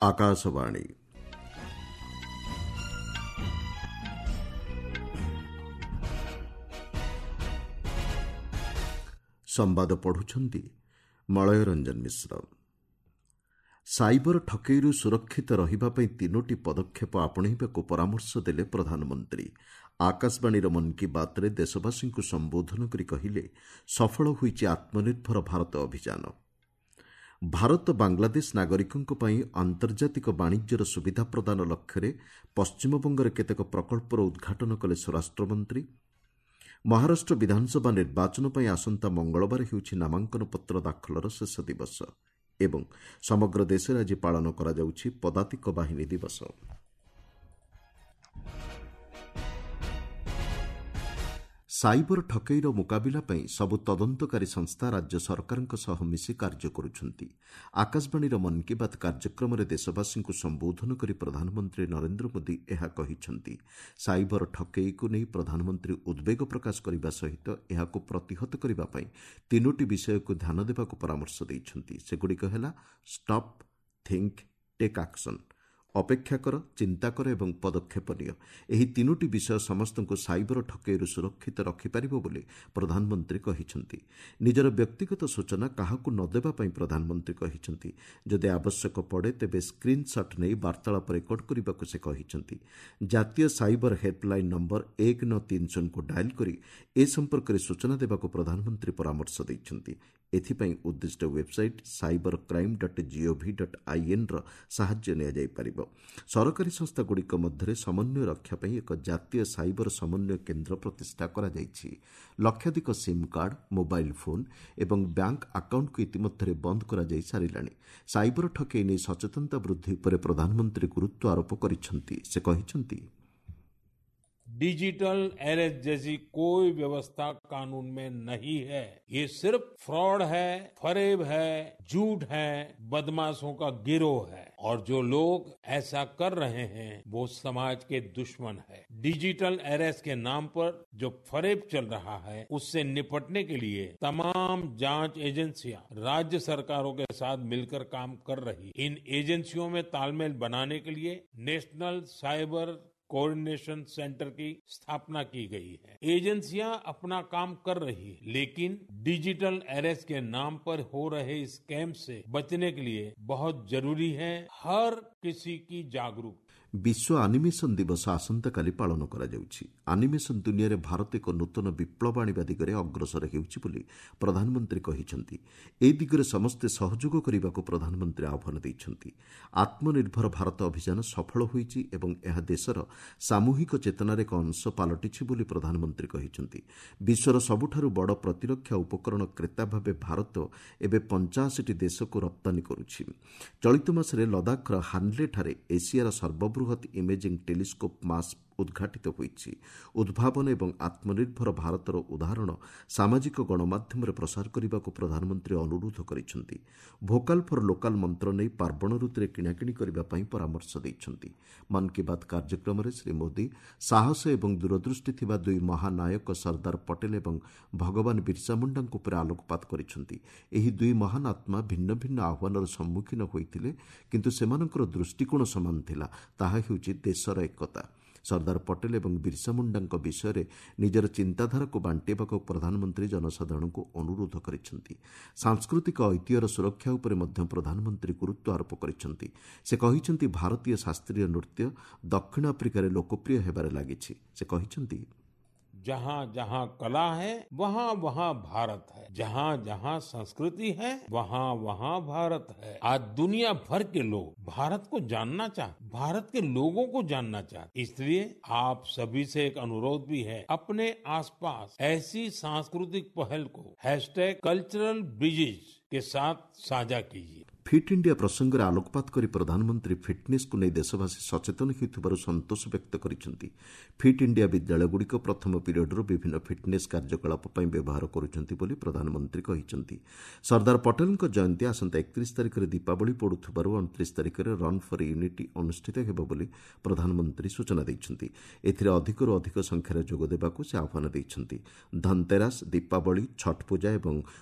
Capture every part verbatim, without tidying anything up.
ଆକାଶବାଣୀ। ସମ୍ବାଦ ପଢୁଛନ୍ତି ମଳୟ ରଞ୍ଜନ ମିଶ୍ର। ସାଇବର ଠକେଇରୁ ସୁରକ୍ଷିତ ରହିବା ପାଇଁ ତିନୋଟି ପଦକ୍ଷେପ ଆପଣେଇବାକୁ ପରାମର୍ଶ ଦେଲେ ପ୍ରଧାନମନ୍ତ୍ରୀ। ଆକାଶବାଣୀର ମନ୍ କି ବାତ୍ରେ ଦେଶବାସୀଙ୍କୁ ସମ୍ବୋଧନ କରି କହିଲେ, ସଫଳ ହୋଇଛି ଆତ୍ମନିର୍ଭର ଭାରତ ଅଭିଯାନ। ଭାରତ ବାଂଲାଦେଶ ନାଗରିକଙ୍କ ପାଇଁ ଆନ୍ତର୍ଜାତିକ ବାଣିଜ୍ୟର ସୁବିଧା ପ୍ରଦାନ ଲକ୍ଷ୍ୟରେ ପଶ୍ଚିମବଙ୍ଗରେ କେତେକ ପ୍ରକଳ୍ପର ଉଦ୍ଘାଟନ କଲେ ସ୍ୱରାଷ୍ଟ୍ରମନ୍ତ୍ରୀ। ମହାରାଷ୍ଟ୍ର ବିଧାନସଭା ନିର୍ବାଚନ ପାଇଁ ଆସନ୍ତା ମଙ୍ଗଳବାର ହେଉଛି ନାମାଙ୍କନ ପତ୍ର ଦାଖଲର ଶେଷ ଦିବସ ଏବଂ ସମଗ୍ର ଦେଶରେ ଆଜି ପାଳନ କରାଯାଉଛି ପଦାତିକ ବାହିନୀ ଦିବସ। ସାଇବର ଠକେଇର ମୁକାବିଲା ପାଇଁ ସବୁ ତଦନ୍ତକାରୀ ସଂସ୍ଥା ରାଜ୍ୟ ସରକାରଙ୍କ ସହ ମିଶି କାର୍ଯ୍ୟ କରୁଛନ୍ତି। ଆକାଶବାଣୀର ମନ୍ କି ବାତ୍ କାର୍ଯ୍ୟକ୍ରମରେ ଦେଶବାସୀଙ୍କୁ ସମ୍ବୋଧନ କରି ପ୍ରଧାନମନ୍ତ୍ରୀ ନରେନ୍ଦ୍ର ମୋଦି ଏହା କହିଛନ୍ତି। ସାଇବର ଠକେଇକୁ ନେଇ ପ୍ରଧାନମନ୍ତ୍ରୀ ଉଦ୍ବେଗ ପ୍ରକାଶ କରିବା ସହିତ ଏହାକୁ ପ୍ରତିହତ କରିବା ପାଇଁ ତିନୋଟି ବିଷୟକୁ ଧ୍ୟାନ ଦେବାକୁ ପରାମର୍ଶ ଦେଇଛନ୍ତି। ସେଗୁଡ଼ିକ ହେଲା ଷ୍ଟପ୍, ଥିଙ୍କ, ଟେକ୍ ଆକ୍ସନ୍। ଅପେକ୍ଷା କର, ଚିନ୍ତା କର ଏବଂ ପଦକ୍ଷେପ ନିଅ। ଏହି ତିନୋଟି ବିଷୟ ସମସ୍ତଙ୍କୁ ସାଇବର ଠକେଇରୁ ସୁରକ୍ଷିତ ରଖିପାରିବ ବୋଲି ପ୍ରଧାନମନ୍ତ୍ରୀ କହିଛନ୍ତି। ନିଜର ବ୍ୟକ୍ତିଗତ ସୂଚନା କାହାକୁ ନ ଦେବା ପାଇଁ ପ୍ରଧାନମନ୍ତ୍ରୀ କହିଛନ୍ତି। ଯଦି ଆବଶ୍ୟକ ପଡ଼େ ତେବେ ସ୍କ୍ରିନ୍ସଟ୍ ନେଇ ବାର୍ତ୍ତାଳାପ ରେକର୍ଡ କରିବାକୁ ସେ କହିଛନ୍ତି। ଜାତୀୟ ସାଇବର ହେଲ୍ପଲାଇନ୍ ନମ୍ବର ଏକ ନଅ ତିନି ଶୂନକୁ ଡାଏଲ୍ କରି ଏ ସମ୍ପର୍କରେ ସୂଚନା ଦେବାକୁ ପ୍ରଧାନମନ୍ତ୍ରୀ ପରାମର୍ଶ ଦେଇଛନ୍ତି। ଏଥିପାଇଁ ଉଦ୍ଦିଷ୍ଟ website cyber crime dot gov dot ଆଇଏନ୍ର ସାହାଯ୍ୟ ନିଆଯାଇପାରିବ। ସରକାରୀ ସଂସ୍ଥାଗୁଡ଼ିକ ମଧ୍ୟରେ ସମନ୍ୱୟ ରକ୍ଷା ପାଇଁ ଏକ ଜାତୀୟ ସାଇବର ସମନ୍ୱୟ କେନ୍ଦ୍ର ପ୍ରତିଷ୍ଠା କରାଯାଇଛି। ଲକ୍ଷାଧିକ ସିମ୍ କାର୍ଡ, ମୋବାଇଲ୍ ଫୋନ୍ ଏବଂ ବ୍ୟାଙ୍କ ଆକାଉଣ୍ଟକୁ ଇତିମଧ୍ୟରେ ବନ୍ଦ କରାଯାଇ ସାରିଲାଣି। ସାଇବର ଠକେଇ ନେଇ ସଚେତନତା ବୃଦ୍ଧି ଉପରେ ପ୍ରଧାନମନ୍ତ୍ରୀ ଗୁରୁତ୍ୱ ଆରୋପ କରିଛନ୍ତି। ସେ କହିଛନ୍ତି, डिजिटल अरेस्ट जैसी कोई व्यवस्था कानून में नहीं है। ये सिर्फ फ्रॉड है, फरेब है, झूठ है, बदमाशों का गिरोह है और जो लोग ऐसा कर रहे हैं वो समाज के दुश्मन है। डिजिटल अरेस्ट के नाम पर जो फरेब चल रहा है उससे निपटने के लिए तमाम जांच एजेंसियां राज्य सरकारों के साथ मिलकर काम कर रही। इन एजेंसियों में तालमेल बनाने के लिए नेशनल साइबर कोऑर्डिनेशन सेंटर की स्थापना की गई है। एजेंसियां अपना काम कर रही है, लेकिन डिजिटल अरेस्ट के नाम पर हो रहे स्कैम से बचने के लिए बहुत जरूरी है हर किसी की जागरूकता। ବିଶ୍ୱ ଆନିମେସନ୍ ଦିବସ ଆସନ୍ତାକାଲି ପାଳନ କରାଯାଉଛି। ଆନିମେସନ୍ ଦୁନିଆରେ ଭାରତ ଏକ ନୂତନ ବିପ୍ଳବ ଆଣିବା ଦିଗରେ ଅଗ୍ରସର ହେଉଛି ବୋଲି ପ୍ରଧାନମନ୍ତ୍ରୀ କହିଛନ୍ତି। ଏ ଦିଗରେ ସମସ୍ତେ ସହଯୋଗ କରିବାକୁ ପ୍ରଧାନମନ୍ତ୍ରୀ ଆହ୍ୱାନ ଦେଇଛନ୍ତି। ଆତ୍ମନିର୍ଭର ଭାରତ ଅଭିଯାନ ସଫଳ ହୋଇଛି ଏବଂ ଏହା ଦେଶର ସାମୂହିକ ଚେତନାର ଏକ ଅଂଶ ପାଲଟିଛି ବୋଲି ପ୍ରଧାନମନ୍ତ୍ରୀ କହିଛନ୍ତି। ବିଶ୍ୱର ସବୁଠାରୁ ବଡ଼ ପ୍ରତିରକ୍ଷା ଉପକରଣ କ୍ରେତା ଭାବେ ଭାରତ ଏବେ ପଞ୍ଚାଅଶୀଟି ଦେଶକୁ ରପ୍ତାନୀ କରୁଛି। ଚଳିତ ମାସରେ ଲଦାଖର ହାନ୍ଲେଠାରେ ଏସିଆର ସର୍ବବୃହତ ବୃହତ୍ ଇମେଜିଂ ଟେଲିସ୍କୋପ୍ ମାସ୍ ଉଦ୍ଘାଟିତ ହୋଇଛି। ଉଦ୍ଭାବନ ଏବଂ ଆତ୍ମନିର୍ଭର ଭାରତର ଉଦାହରଣ ସାମାଜିକ ଗଣମାଧ୍ୟମରେ ପ୍ରସାର କରିବାକୁ ପ୍ରଧାନମନ୍ତ୍ରୀ ଅନୁରୋଧ କରିଛନ୍ତି। ଭୋକାଲ୍ ଫର୍ ଲୋକାଲ୍ ମନ୍ତ୍ର ନେଇ ପାର୍ବଣ ଋତୁରେ କିଣାକିଣି କରିବା ପାଇଁ ପରାମର୍ଶ ଦେଇଛନ୍ତି। ମନ୍ କି ବାତ୍ କାର୍ଯ୍ୟକ୍ରମରେ ଶ୍ରୀ ମୋଦି ସାହସ ଏବଂ ଦୂରଦୃଷ୍ଟି ଥିବା ଦୁଇ ମହାନାୟକ ସର୍ଦ୍ଦାର ପଟେଲ ଏବଂ ଭଗବାନ ବିର୍ସା ମୁଣ୍ଡାଙ୍କ ଉପରେ ଆଲୋକପାତ କରିଛନ୍ତି। ଏହି ଦୁଇ ମହାନ ଆତ୍ମା ଭିନ୍ନ ଭିନ୍ନ ଆହ୍ୱାନର ସମ୍ମୁଖୀନ ହୋଇଥିଲେ, କିନ୍ତୁ ସେମାନଙ୍କର ଦୃଷ୍ଟିକୋଣ ସମାନ ଥିଲା, ତାହା ହେଉଛି ଦେଶର ଏକତା। ସର୍ଦ୍ଦାର ପଟେଲ ଏବଂ ବିର୍ସା ମୁଣ୍ଡାଙ୍କ ବିଷୟରେ ନିଜର ଚିନ୍ତାଧାରାକୁ ବାଣ୍ଟିବାକୁ ପ୍ରଧାନମନ୍ତ୍ରୀ ଜନସାଧାରଣଙ୍କୁ ଅନୁରୋଧ କରିଛନ୍ତି। ସାଂସ୍କୃତିକ ଐତିହ୍ୟର ସୁରକ୍ଷା ଉପରେ ମଧ୍ୟ ପ୍ରଧାନମନ୍ତ୍ରୀ ଗୁରୁତ୍ୱ ଆରୋପ କରିଛନ୍ତି। ସେ କହିଛନ୍ତି, ଭାରତୀୟ ଶାସ୍ତ୍ରୀୟ ନୃତ୍ୟ ଦକ୍ଷିଣ ଆଫ୍ରିକାରେ ଲୋକପ୍ରିୟ ହେବାରେ ଲାଗିଛି। ସେ କହିଛନ୍ତି, जहाँ जहाँ कला है वहाँ वहाँ भारत है, जहाँ जहाँ संस्कृति है वहाँ वहाँ भारत है। आज दुनिया भर के लोग भारत को जानना चाहते, भारत के लोगों को जानना चाहते। इसलिए आप सभी से एक अनुरोध भी है, अपने आसपास ऐसी सांस्कृतिक पहल को हैशटैग कल्चरल ब्रिजेज के साथ साझा कीजिए। ଫିଟ୍ ଇଣ୍ଡିଆ ପ୍ରସଙ୍ଗରେ ଆଲୋକପାତ କରି ପ୍ରଧାନମନ୍ତ୍ରୀ ଫିଟ୍ନେସ୍କୁ ନେଇ ଦେଶବାସୀ ସଚେତନ ହେଉଥିବାରୁ ସନ୍ତୋଷ ବ୍ୟକ୍ତ କରିଛନ୍ତି। ଫିଟ୍ ଇଣ୍ଡିଆ ବିଦ୍ୟାଳୟଗୁଡ଼ିକ ପ୍ରଥମ ପିରିୟଡରୁ ବିଭିନ୍ନ ଫିଟ୍ନେସ୍ କାର୍ଯ୍ୟକଳାପ ପାଇଁ ବ୍ୟବହାର କରୁଛନ୍ତି ବୋଲି ପ୍ରଧାନମନ୍ତ୍ରୀ କହିଛନ୍ତି। ସର୍ଦ୍ଦାର ପଟେଲଙ୍କ ଜୟନ୍ତୀ ଆସନ୍ତା ଏକତିରିଶ ତାରିଖରେ ଦୀପାବଳି ପଡ଼ୁଥିବାରୁ ଅଣତିରିଶ ତାରିଖରେ ରନ୍ ଫର୍ ୟୁନିଟି ଅନୁଷ୍ଠିତ ହେବ ବୋଲି ପ୍ରଧାନମନ୍ତ୍ରୀ ସୂଚନା ଦେଇଛନ୍ତି। ଏଥିରେ ଅଧିକରୁ ଅଧିକ ସଂଖ୍ୟାରେ ଯୋଗ ଦେବାକୁ ସେ ଆହ୍ୱାନ ଦେଇଛନ୍ତି। ଧନତେରାସ, ଦୀପାବଳି, ଛଟ୍ ପୂଜା ଏବଂ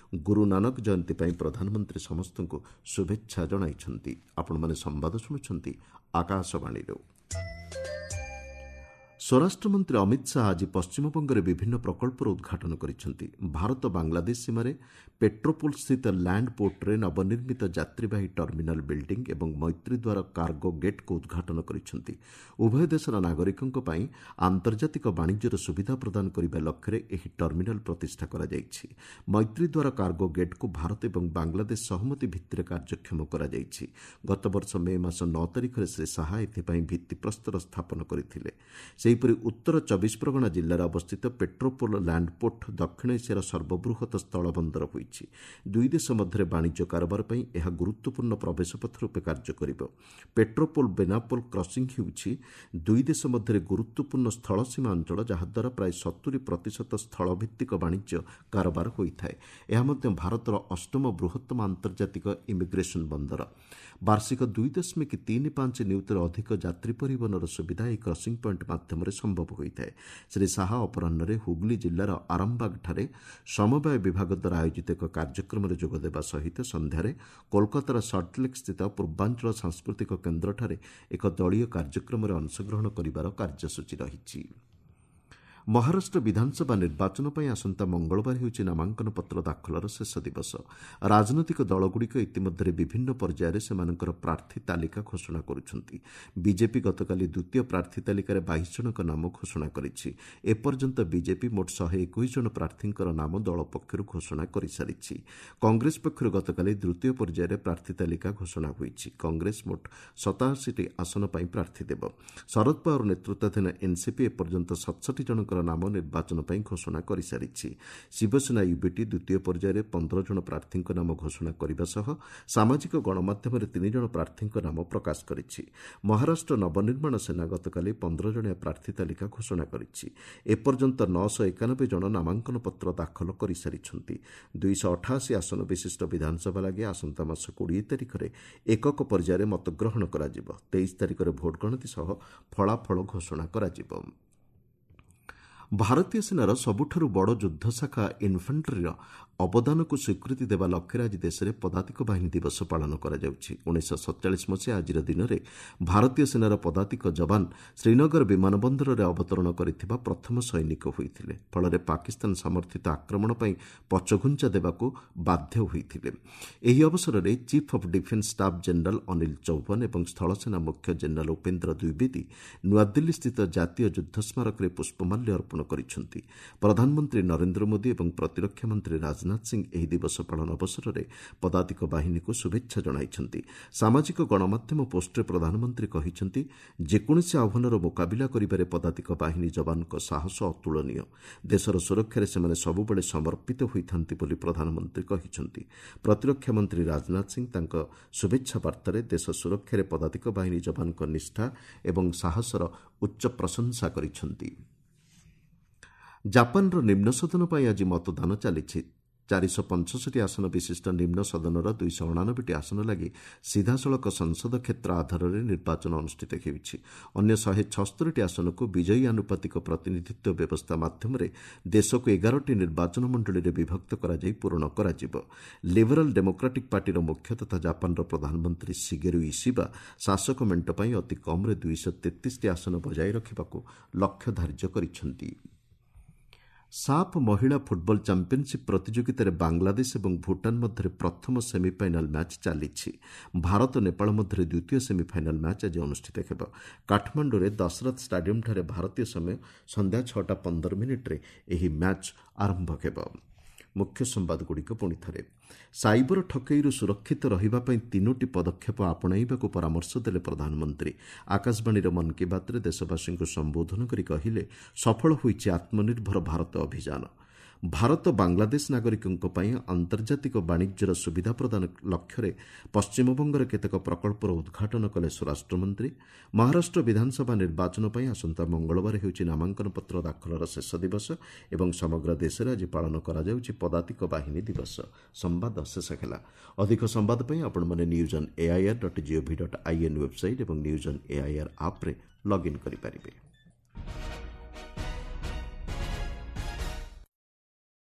ଗୁରୁ ନାନକ ଜୟନ୍ତୀ ପାଇଁ ପ୍ରଧାନମନ୍ତ୍ରୀ ସମସ୍ତଙ୍କୁ ଶୁଭେଚ୍ଛା ଶୁଭେଚ୍ଛା ଜଣାଇଛନ୍ତି। ଆପଣମାନେ ସମ୍ବାଦ ଶୁଣୁଛନ୍ତି ଆକାଶବାଣୀରୁ। ସ୍ୱରାଷ୍ଟ୍ରମନ୍ତ୍ରୀ ଅମିତ ଶାହା ଆଜି ପଶ୍ଚିମବଙ୍ଗରେ ବିଭିନ୍ନ ପ୍ରକଳ୍ପର ଉଦ୍ଘାଟନ କରିଛନ୍ତି। ଭାରତ ବାଂଲାଦେଶ ସୀମାରେ ପେଟ୍ରୋପୋଲ ସ୍ଥିତ ଲ୍ୟାଣ୍ଡ ପୋର୍ଟରେ ନବନିର୍ମିତ ଯାତ୍ରୀବାହୀ ଟର୍ମିନାଲ ବିଲ୍ଡିଂ ଏବଂ ମୈତ୍ରୀଦ୍ୱାର କାର୍ଗୋ ଗେଟ୍କୁ ଉଦ୍ଘାଟନ କରିଛନ୍ତି। ଉଭୟ ଦେଶର ନାଗରିକଙ୍କ ପାଇଁ ଆନ୍ତର୍ଜାତିକ ବାଣିଜ୍ୟର ସୁବିଧା ପ୍ରଦାନ କରିବା ଲକ୍ଷ୍ୟରେ ଏହି ଟର୍ମିନାଲ ପ୍ରତିଷ୍ଠା କରାଯାଇଛି। ମୈତ୍ରୀଦ୍ୱାର କାର୍ଗୋ ଗେଟ୍କୁ ଭାରତ ଏବଂ ବାଂଲାଦେଶ ସହମତି ଭିତ୍ତିରେ କାର୍ଯ୍ୟକ୍ଷମ କରାଯାଇଛି। ଗତବର୍ଷ ମେ ମାସ ନଅ ତାରିଖରେ ଶ୍ରୀ ଶାହା ଏଥିପାଇଁ ଭିତ୍ତିପ୍ରସ୍ତର ସ୍ଥାପନ କରିଥିଲେ। ସେହିପରି ଉତ୍ତର ଚବିଶ ପ୍ରଗଣା ଜିଲ୍ଲାରେ ଅବସ୍ଥିତ ପେଟ୍ରୋପୋଲ ଲ୍ୟାଣ୍ଡପୋର୍ଟ ଦକ୍ଷିଣ ଏସିଆର ସର୍ବବୃହତ ସ୍ଥଳବନ୍ଦର ହୋଇଛି। ଦୁଇ ଦେଶ ମଧ୍ୟରେ ବାଣିଜ୍ୟ କାରବାର ପାଇଁ ଏହା ଗୁରୁତ୍ୱପୂର୍ଣ୍ଣ ପ୍ରବେଶପଥ ରୂପେ କାର୍ଯ୍ୟ କରିବ। ପେଟ୍ରୋପୋଲ ବେନାପୋଲ କ୍ରସିଂ ହେଉଛି ଦୁଇ ଦେଶ ମଧ୍ୟରେ ଗୁରୁତ୍ୱପୂର୍ଣ୍ଣ ସ୍ଥଳସୀମା ଅଞ୍ଚଳ, ଯାହାଦ୍ୱାରା ପ୍ରାୟ ସତୁରି ପ୍ରତିଶତ ସ୍ଥଳଭିତ୍ତିକ ବାଣିଜ୍ୟ କାରବାର ହୋଇଥାଏ। ଏହା ମଧ୍ୟ ଭାରତର ଅଷ୍ଟମ ବୃହତ୍ତମ ଆନ୍ତର୍ଜାତିକ ଇମିଗ୍ରେସନ ବନ୍ଦର। ବାର୍ଷିକ ଦୁଇ ଦଶମିକ ତିନି ପାଞ୍ଚ ନିୟୁତରୁ ଅଧିକ ଯାତ୍ରୀ ପରିବହନର ସୁବିଧା ଏହି କ୍ରସିଂ ପଏଣ୍ଟ ମାଧ୍ୟମରେ ସମ୍ଭବ ହୋଇଥାଏ। ଶ୍ରୀ ଶାହା ଅପରାହ୍ନରେ ହୁଗୁଲି ଜିଲ୍ଲାର ଆରାମବାଗଠାରେ ସମବାୟ ବିଭାଗ ଦ୍ୱାରା ଆୟୋଜିତ ଏକ କାର୍ଯ୍ୟକ୍ରମରେ ଯୋଗଦେବା ସହିତ ସନ୍ଧ୍ୟାରେ କୋଲକାତାର ସଲ୍ଟଲେକ୍ ସ୍ଥିତ ପୂର୍ବାଞ୍ଚଳ ସାଂସ୍କୃତିକ କେନ୍ଦ୍ରଠାରେ ଏକ ଦଳୀୟ କାର୍ଯ୍ୟକ୍ରମରେ ଅଂଶଗ୍ରହଣ କରିବାର କାର୍ଯ୍ୟସୂଚୀ ରହିଛି। ମହାରାଷ୍ଟ୍ର ବିଧାନସଭା ନିର୍ବାଚନ ପାଇଁ ଆସନ୍ତା ମଙ୍ଗଳବାର ହେଉଛି ନାମାଙ୍କନ ପତ୍ର ଦାଖଲର ଶେଷ ଦିବସ। ରାଜନୈତିକ ଦଳଗୁଡ଼ିକ ଇତିମଧ୍ୟରେ ବିଭିନ୍ନ ପର୍ଯ୍ୟାୟରେ ସେମାନଙ୍କର ପ୍ରାର୍ଥୀ ତାଲିକା ଘୋଷଣା କରୁଛନ୍ତି। ବିଜେପି ଗତକାଲି ଦ୍ୱିତୀୟ ପ୍ରାର୍ଥୀ ତାଲିକାରେ ବାଇଶ ଜଣଙ୍କ ନାମ ଘୋଷଣା କରିଛି। ଏପର୍ଯ୍ୟନ୍ତ ବିଜେପି ମୋଟ ଶହେ ଏକୋଇଶ ଜଣ ପ୍ରାର୍ଥୀଙ୍କର ନାମ ଦଳ ପକ୍ଷରୁ ଘୋଷଣା କରିସାରିଛି। କଂଗ୍ରେସ ପକ୍ଷରୁ ଗତକାଲି ତୃତୀୟ ପର୍ଯ୍ୟାୟରେ ପ୍ରାର୍ଥୀ ତାଲିକା ଘୋଷଣା ହୋଇଛି। କଂଗ୍ରେସ ମୋଟ ସତାଅଶୀଟି ଆସନ ପାଇଁ ପ୍ରାର୍ଥୀ ଦେବ। ଶରଦ ପାୱାର ନେତୃତ୍ୱାଧୀନ ଏନ୍ସିପି ଏପର୍ଯ୍ୟନ୍ତ ସତଷଠି ଜଣଙ୍କର ନାମ ନିର୍ବାଚନ ପାଇଁ ଘୋଷଣା କରିସାରିଛି। ଶିବସେନା ୟୁବିଟି ଦ୍ୱିତୀୟ ପର୍ଯ୍ୟାୟରେ ପନ୍ଦର ଜଣ ପ୍ରାର୍ଥୀଙ୍କ ନାମ ଘୋଷଣା କରିବା ସହ ସାମାଜିକ ଗଣମାଧ୍ୟମରେ ତିନି ଜଣ ପ୍ରାର୍ଥୀଙ୍କ ନାମ ପ୍ରକାଶ କରିଛି। ମହାରାଷ୍ଟ୍ର ନବନିର୍ମାଣ ସେନା ଗତକାଲି ପନ୍ଦର ଜଣିଆ ପ୍ରାର୍ଥୀ ତାଲିକା ଘୋଷଣା କରିଛି। ଏପର୍ଯ୍ୟନ୍ତ ନଅଶହ ଏକାନବେ ଜଣ ନାମାଙ୍କନ ପତ୍ର ଦାଖଲ କରିସାରିଛନ୍ତି। ଦୁଇଶହ ଅଠାଅଶୀ ଆସନ ବିଶିଷ୍ଟ ବିଧାନସଭା ଲାଗି ଆସନ୍ତା ମାସ କୋଡ଼ିଏ ତାରିଖରେ ଏକକ ପର୍ଯ୍ୟାୟରେ ମତଗ୍ରହଣ କରାଯିବ। ତେଇଶ ତାରିଖରେ ଭୋଟ ଗଣତି ସହ ଫଳାଫଳ ଘୋଷଣା କରାଯିବ। ଭାରତୀୟ ସେନାର ସବୁଠାରୁ ବଡ଼ ଯୁଦ୍ଧ ଶାଖା ଇନ୍ଫାଣ୍ଟ୍ରିର ଅବଦାନକୁ ସ୍ୱୀକୃତି ଦେବା ଲକ୍ଷ୍ୟରେ ଆଜି ଦେଶରେ ପଦାତିକ ବାହିନୀ ଦିବସ ପାଳନ କରାଯାଉଛି। ଉଣେଇଶହ ସତଚାଳିଶ ମସିହା ଆଜିର ଦିନରେ ଭାରତୀୟ ସେନାର ପଦାତିକ ଯବାନ ଶ୍ରୀନଗର ବିମାନ ବନ୍ଦରରେ ଅବତରଣ କରିଥିବା ପ୍ରଥମ ସୈନିକ ହୋଇଥିଲେ। ଫଳରେ ପାକିସ୍ତାନ ସମର୍ଥିତ ଆକ୍ରମଣ ପାଇଁ ପଛଘୁଞ୍ଚା ଦେବାକୁ ବାଧ୍ୟ ହୋଇଥିଲେ। ଏହି ଅବସରରେ chief of defence staff general Anil Chauhan ଏବଂ ସ୍ଥଳସେନା ମୁଖ୍ୟ ଜେନେରାଲ ଉପେନ୍ଦ୍ର ଦ୍ୱିବେଦୀ ନୂଆଦିଲ୍ଲୀସ୍ଥିତ ଜାତୀୟ ଯୁଦ୍ଧ ସ୍ମାରକୀରେ ପୁଷ୍ପମାଲ୍ୟ ଅର୍ପଣ କରିଛନ୍ତି। ପ୍ରଧାନମନ୍ତ୍ରୀ ନରେନ୍ଦ୍ର ମୋଦି ଏବଂ ପ୍ରତିରକ୍ଷା ମନ୍ତ୍ରୀ ରାଜନାଥ ସିଂ ଏହି ଦିବସ ପାଳନ ଅବସରରେ ପଦାତିକ ବାହିନୀକୁ ଶୁଭେଚ୍ଛା ଜଣାଇଛନ୍ତି। ସାମାଜିକ ଗଣମାଧ୍ୟମ ପୋଷ୍ଟରେ ପ୍ରଧାନମନ୍ତ୍ରୀ କହିଛନ୍ତି, ଯେକୌଣସି ଆହ୍ୱାନର ମୁକାବିଲା କରିବାରେ ପଦାତିକ ବାହିନୀ ଯବାନଙ୍କ ସାହସ ଅତୁଳନୀୟ। ଦେଶର ସୁରକ୍ଷାରେ ସେମାନେ ସବୁବେଳେ ସମର୍ପିତ ହୋଇଥାନ୍ତି ବୋଲି ପ୍ରଧାନମନ୍ତ୍ରୀ କହିଛନ୍ତି। ପ୍ରତିରକ୍ଷା ମନ୍ତ୍ରୀ ରାଜନାଥ ସିଂ ତାଙ୍କ ଶୁଭେଚ୍ଛା ବାର୍ତ୍ତାରେ ଦେଶ ସୁରକ୍ଷାରେ ପଦାତିକ ବାହିନୀ ଯବାନଙ୍କ ନିଷ୍ଠା ଏବଂ ସାହସର ଉଚ୍ଚ ପ୍ରଶଂସା କରିଛନ୍ତି। ଜାପାନର ନିମ୍ନ ସଦନ ପାଇଁ ଆଜି ମତଦାନ ଚାଲିଛି। ଚାରିଶହ ପଞ୍ଚଷଠି ଆସନ ବିଶିଷ୍ଟ ନିମ୍ନ ସଦନର ଦୁଇଶହ ଅଣାନବେଟି ଆସନ ଲାଗି ସିଧାସଳଖ ସଂସଦ କ୍ଷେତ୍ର ଆଧାରରେ ନିର୍ବାଚନ ଅନୁଷ୍ଠିତ ହେଉଛି। ଅନ୍ୟ ଶହେ ଛସ୍ତରୀଟି ଆସନକୁ ବିଜୟୀ ଆନୁପାତିକ ପ୍ରତିନିଧିତ୍ୱ ବ୍ୟବସ୍ଥା ମାଧ୍ୟମରେ ଦେଶକୁ ଏଗାରଟି ନିର୍ବାଚନ ମଣ୍ଡଳୀରେ ବିଭକ୍ତ କରାଯାଇ ପୂରଣ କରାଯିବ। ଲିବରାଲ ଡେମୋକ୍ରାଟିକ୍ ପାର୍ଟିର ମୁଖ୍ୟ ତଥା ଜାପାନର ପ୍ରଧାନମନ୍ତ୍ରୀ ଶିଗେରୁ ଇସିବା ଶାସକ ମେଣ୍ଟ ପାଇଁ ଅତି କମ୍ରେ ଦୁଇଶହ ତେତିଶଟି ଆସନ ବଜାୟ ରଖିବାକୁ ଲକ୍ଷ୍ୟ ଧାର୍ଯ୍ୟ କରିଛନ୍ତି। ସାଫ୍ ମହିଳା ଫୁଟବଲ ଚାମ୍ପିୟନସିପ୍ ପ୍ରତିଯୋଗିତାରେ ବାଂଲାଦେଶ ଏବଂ ଭୁଟାନ ମଧ୍ୟରେ ପ୍ରଥମ ସେମିଫାଇନାଲ ମ୍ୟାଚ୍ ଚାଲିଛି। ଭାରତ ନେପାଳ ମଧ୍ୟରେ ଦ୍ୱିତୀୟ ସେମିଫାଇନାଲ ମ୍ୟାଚ୍ ଆଜି ଅନୁଷ୍ଠିତ ହେବ। କାଠମାଣ୍ଡୁରେ ଦଶରଥ ଷ୍ଟାଡିୟମଠାରେ ଭାରତୀୟ ସମୟ ସନ୍ଧ୍ୟା ଛଅଟା ପନ୍ଦର ମିନିଟ୍ରେ ଏହି ମ୍ୟାଚ୍ ଆରମ୍ଭ ହେବ। ମୁଖ୍ୟ ସମ୍ବାଦଗୁଡ଼ିକ ପୁଣି ଥରେ। ସାଇବର ଠକେଇରୁ ସୁରକ୍ଷିତ ରହିବା ପାଇଁ ତିନୋଟି ପଦକ୍ଷେପ ଆପଣାଇବାକୁ ପରାମର୍ଶ ଦେଲେ ପ୍ରଧାନମନ୍ତ୍ରୀ। ଆକାଶବାଣୀର ମନ୍ କି ବାତ୍ରେ ଦେଶବାସୀଙ୍କୁ ସମ୍ବୋଧନ କରି କହିଲେ, ସଫଳ ହୋଇଛି ଆତ୍ମନିର୍ଭର ଭାରତ ଅଭିଯାନ। ଭାରତ ବାଂଲାଦେଶ ନାଗରିକଙ୍କ ପାଇଁ ଆନ୍ତର୍ଜାତିକ ବାଣିଜ୍ୟର ସୁବିଧା ପ୍ରଦାନ ଲକ୍ଷ୍ୟରେ ପଶ୍ଚିମବଙ୍ଗର କେତେକ ପ୍ରକଳ୍ପର ଉଦ୍ଘାଟନ କଲେ ସ୍ୱରାଷ୍ଟ୍ରମନ୍ତ୍ରୀ। ମହାରାଷ୍ଟ୍ର ବିଧାନସଭା ନିର୍ବାଚନ ପାଇଁ ଆସନ୍ତା ମଙ୍ଗଳବାର ହେଉଛି ନାମାଙ୍କନ ପତ୍ର ଦାଖଲର ଶେଷ ଦିବସ ଏବଂ ସମଗ୍ର ଦେଶରେ ଆଜି ପାଳନ କରାଯାଉଛି ପଦାତିକ ବାହିନୀ ଦିବସ। ସମ୍ବାଦ ଶେଷ ହେଲା। ଅଧିକ ସମ୍ବାଦ ପାଇଁ ଆପଣମାନେ news on AIR dot gov dot in website ଏବଂ ନ୍ୟୁଜ୍ ଅନ୍ ଏଆଇଆର୍ ଆପ୍ରେ ଲଗ୍ଇନ୍ କରିପାରିବେ।